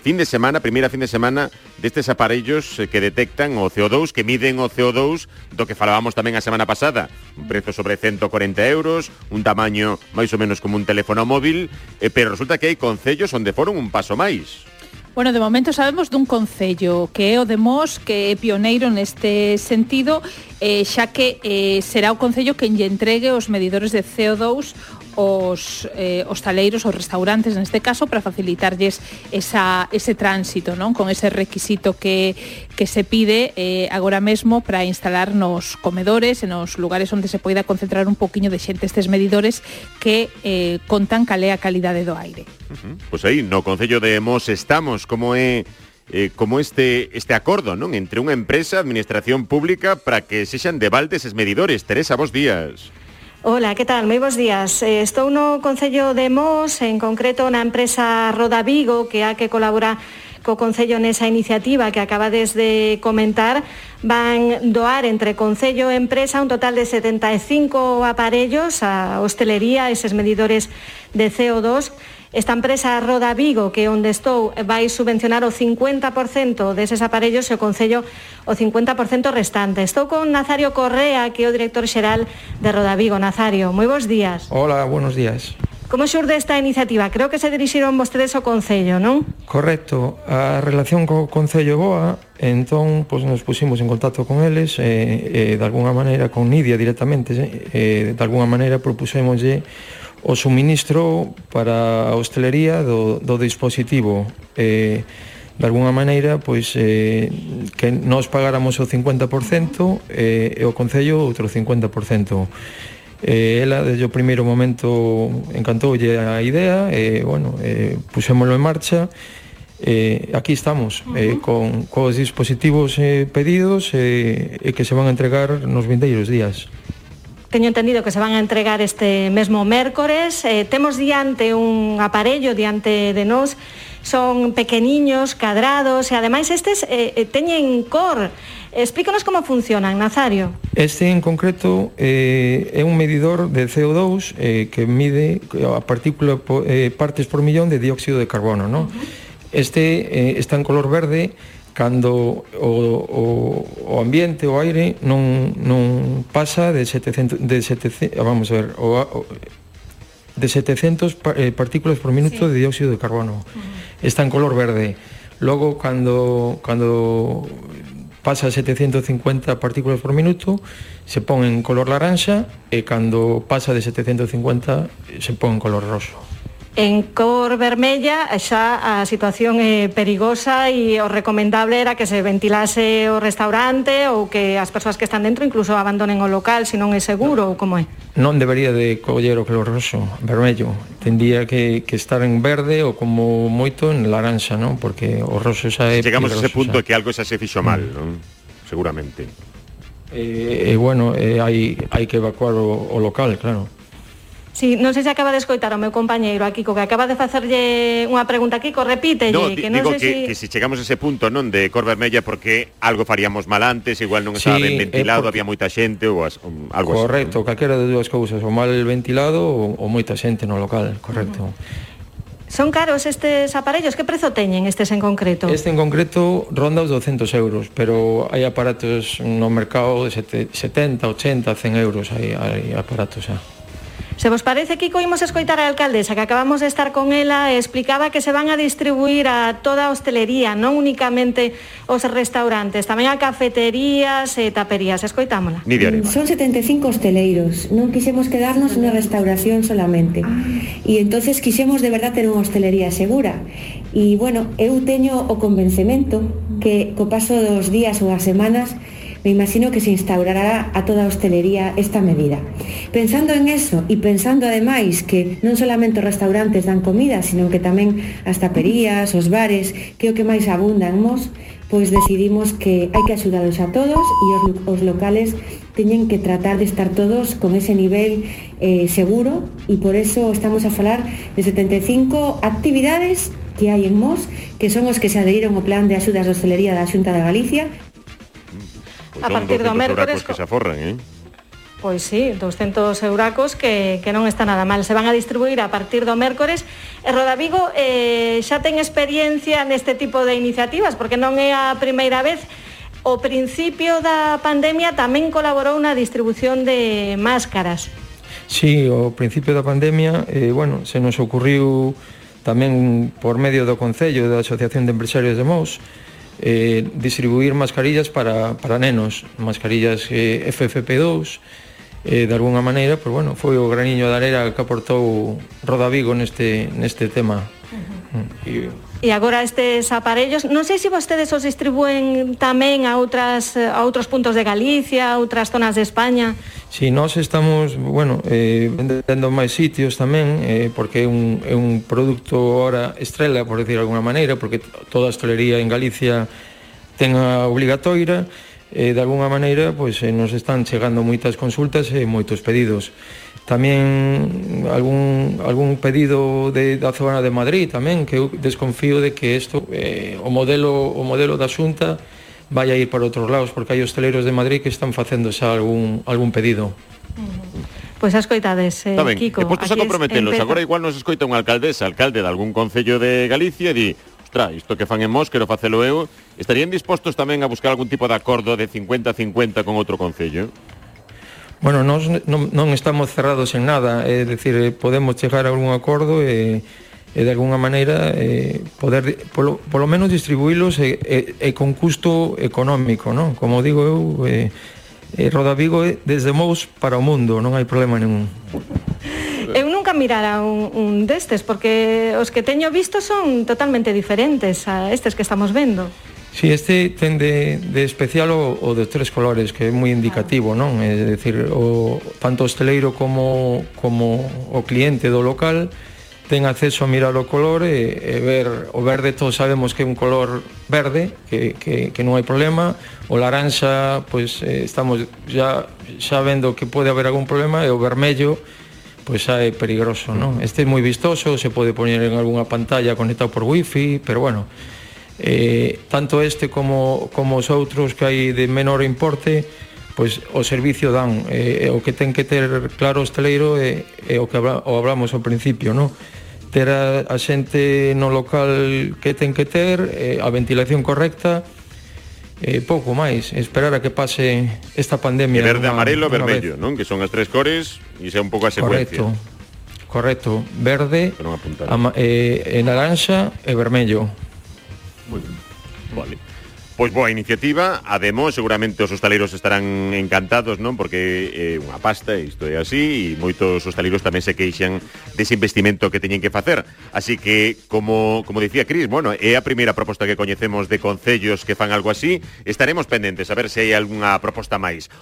primeira fin de semana destes aparellos que detectan o CO2, que miden o CO2 do que falábamos tamén a semana pasada. Un prezo sobre 140 euros, un tamaño máis ou menos como un teléfono móvil, pero resulta que hai concellos onde foron un paso máis. Bueno, de momento sabemos dun concello que é o de Mos, que é pioneiro neste sentido, xa que será o concello quen lle entregue os medidores de CO2 os hostaleiros, os restaurantes neste caso, para facilitarlles ese tránsito, non? Con ese requisito que se pide agora mesmo para instalar nos comedores e nos lugares onde se poida concentrar un poquinho de xente estes medidores que contan cal é a calidade do aire. Pois aí, no concello de Mos estamos, como é este acordo, non, entre unha empresa, administración pública, para que sexan de balde eses medidores. Teresa, bos días. Hola, que tal? Moi bons días. Estou no concello de Mos, en concreto na empresa Roda Vigo, que a que colabora co concello nesa iniciativa que acabades de comentar. Van doar entre concello e empresa un total de 75 aparellos a hostelería, eses medidores de CO2. Esta empresa Roda Vigo, que onde estou, vai subvencionar o 50% deses aparellos e o concello o 50% restante. Estou con Nazario Correa, que é o director xeral de Roda Vigo. Nazario, moi bons días. Hola, buenos días. Como xurde esta iniciativa? Creo que se dirixiron vostedes ao concello, non? Correcto. A relación co concello boa, entón, pues, nos pusimos en contacto con eles, de alguna maneira, con Nidia directamente, de alguna maneira propusémoslle o suministro para a hostelería do dispositivo, de alguna maneira, pois, que nós pagáramos o 50% e o concello outro 50%. Ela, desde o primeiro momento, encantoulle a idea, pusémolo en marcha. Aquí estamos, con os dispositivos pedidos e que se van a entregar nos vindeiros días. Teño entendido que se van a entregar este mesmo mércores. Temos diante un aparello diante de nós, son pequeniños, cadrados, e ademais estes teñen cor. Explícanos como funcionan, Nazario. Este en concreto é un medidor de CO2 que mide a partícula partes por millón de dióxido de carbono, non? Este está en color verde cando o ambiente, o aire non pasa de 700 partículas por minuto de dióxido de carbono. Está en color verde. Logo, cando pasa a 750 partículas por minuto, se pon en color laranxa, e cando pasa de 750 se pon en color roso. En cor vermella xa a situación é perigosa e o recomendable era que se ventilase o restaurante ou que as persoas que están dentro incluso abandonen o local se non é seguro, ou como é? Non debería de coller o color roso, vermello. Tendría que estar en verde ou como moito en laranxa, non? Porque o roso xa é... Chegamos a ese punto que algo xa se fixo mal, non? Seguramente. Hai que evacuar o local, claro. Sí, non sei se acaba de escoitar o meu compañeiro aquí, que acaba de facerlle unha pregunta aquí, repítelle. No, digo que se chegamos a ese punto, non, de cor vermella, porque algo faríamos mal antes, igual non estaba ben ventilado, había moita xente ou algo así. Correcto, calquera de dúas cousas, o mal ventilado ou moita xente no local, correcto. Son caros estes aparellos? Que prezo teñen estes en concreto? Este en concreto ronda os 200 euros, pero hai aparatos no mercado de 70, 80, 100 euros, hai aparatos xa. Se vos parece, Kiko, imos escoitar a alcaldesa, que acabamos de estar con ela, e explicaba que se van a distribuir a toda a hostelería, non únicamente os restaurantes, tamén a cafeterías e taperías. Escoitámola. Son 75 hosteleiros, non quixemos quedarnos na restauración solamente. E entonces quixemos de verdad ter unha hostelería segura. E, bueno, eu teño o convencemento que co paso dos días ou as semanas me imagino que se instaurará a toda a hostelería esta medida. Pensando en eso e pensando ademais que non solamente os restaurantes dan comida, sino que tamén as taperías, os bares, que é o que máis abundan Mos, pois decidimos que hai que axudalos a todos e os locales teñen que tratar de estar todos con ese nivel seguro, e por eso estamos a falar de 75 actividades que hai en Mos, que son os que se adheriron ao plan de axudas de hostelería da Xunta de Galicia. A partir do mércores que se aforran, Pois sí, 200 euracos que non está nada mal. Se van a distribuir a partir do mércores. E Rodavigo xa ten experiencia neste tipo de iniciativas, porque non é a primeira vez. O principio da pandemia tamén colaborou na distribución de máscaras. Sí, ao principio da pandemia, se nos ocurriu tamén por medio do Concello da Asociación de Empresarios de Mos distribuir mascarillas para nenos, mascarillas FFP2. De alguna maneira, foi o graniño de arena que aportou Rodavigo neste tema. E agora estes aparellos, non sei se vostedes os distribúen tamén a outros puntos de Galicia, a outras zonas de España. Si, nós estamos, vendendo máis sitios tamén, porque é un produto ahora estrela, por decir de alguna maneira, porque toda a hostelería en Galicia ten a obligatoria. De alguna maneira, nos están chegando moitas consultas e moitos pedidos. Tamén algún pedido da zona de Madrid tamén, que eu desconfío de que isto, o modelo da Xunta vai a ir para outros lados, porque hai hosteleiros de Madrid que están facendo xa algún pedido. Pois as coitades, Kiko. E postos a comprometelos, agora igual nos escoita un alcalde de algún concello de Galicia e di: "Ostras, isto que fan en Mos, quero facelo eu". Estarían dispostos tamén a buscar algún tipo de acordo de 50-50 con outro concello? Bueno, nós non estamos cerrados en nada, é dicir, podemos chegar a algún acordo e de alguna maneira poder polo menos distribuílos e con custo económico, non? Como digo eu, Rodavigo é desde Mos para o mundo, non hai problema ningún. Eu nunca mirara un destes, porque os que teño visto son totalmente diferentes a estes que estamos vendo. Sí, este ten de especial o de 3 colores, que é moi indicativo, non? É dicir, tanto o hosteleiro como o cliente do local ten acceso a mirar o color e ver o verde. Todos sabemos que é un color verde, que non hai problema. O laranxa, estamos xa vendo que pode haber algún problema, e o vermello xa é peligroso, non? Este é moi vistoso, se pode poñer en algunha pantalla conectado por wifi, pero tanto este como os outros que hai de menor importe, o servicio dan. O que ten que ter claro o hosteleiro é o que hablamos ao principio, non? Ter a xente no local que ten que ter, a ventilación correcta, pouco máis, esperar a que pase esta pandemia. Verde, amarelo, vermello, non? Que son as 3 cores e xa un pouco a secuencia. Correcto. Verde, naranxa e vermello. Moi ben. Vale. Pois boa iniciativa, ademais seguramente os hostaleiros estarán encantados, non? Porque é unha pasta, isto é así, e moitos hostaleiros tamén se queixan dese investimento que teñen que facer. Así que, como dicía Cris, é a primeira proposta que coñecemos de concellos que fan algo así. Estaremos pendentes a ver se hai algunha proposta máis.